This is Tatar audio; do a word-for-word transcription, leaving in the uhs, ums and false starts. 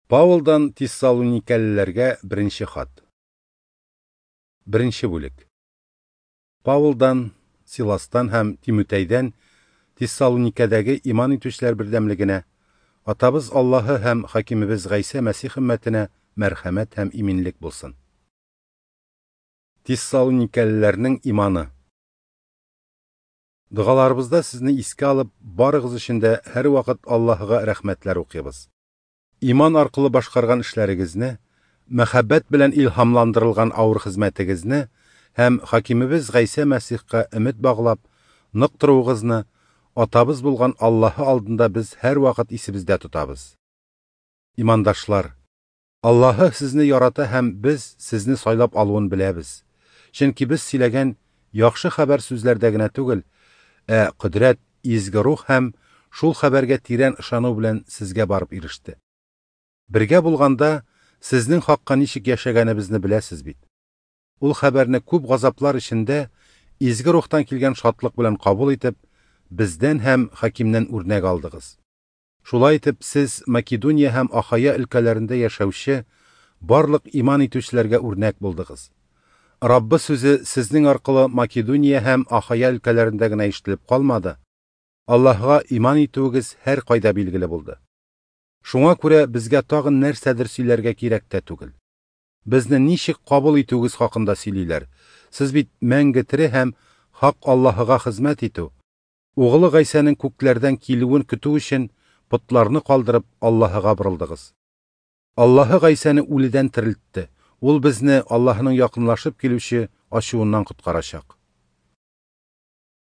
Паулдан Тессалоникәлеләргә беренче хат. Беренче бүлек. Паулдан, Силастан һәм Тимотәйдән Тессалоникәдәге иман итүчеләр бердәмлегенә, Атабыз Аллаһы һәм Хакимебез Гайсә Мәсих өммәтенә мәрхәмәт һәм иминлек булсын. Тессалоникәлеләрнең иманы. Догаларыбызда сезне искә алып, барыгыз өчен дә һәрвакыт Аллаһыга рәхмәтләр укыйбыз. Иман аркылы башкарган эшләрегезне, мәхәббәт белән илһамландырылган авыр хезмәтегезне һәм Хакимебез Гайсә Мәсихкә өмет баглап, нык торуыгызны Атабыз булган Аллаһы алдында без һәрвакыт исебездә тотабыз. Имандашлар, Аллаһы сезне ярата һәм без сезне сайлап алуын беләбез. Чөнки без сөйләгән яхшы хәбәр сүзләрдә генә түгел, ә кодрәт, изге рух һәм шул хәбәргә тирән ышану белән сезгә барып иреште. Бергә булганда сезнең хакка ничек яшәгәнебезне беләсез бит. Ул хәбәрне күп газаплар эчендә изге рухтан килгән шатлык белән кабул итеп, бездән һәм хакимнән үрнәк алдыгыз. Шулай итеп, сез Македония һәм Ахая өлкәләрендә яшәүче барлык иман итүчеләргә үрнәк булдыгыз. Раббы сүзе сезнең аркылы Македония һәм Ахая өлкәләрендә генә ишетелеп калмады. Аллаһыга иман итүегез һәр кайда билгеле булды. Шуңа күрә безгә тагын нәрсәдер сөйләргә кирәк тә түгел. Безне ничек кабул итүегез хакында сөйлиләр. Сез бит мәңге тере һәм хак Аллаһыга хезмәт итү, Угылы Гайсәнең күкләрдән килүен көтү өчен потларны калдырып Аллаһыга борылдыгыз. Аллаһы Гайсәне үледән терелтте. Ул безне Аллаһының якынлашып килүче ачуыннан коткарачак.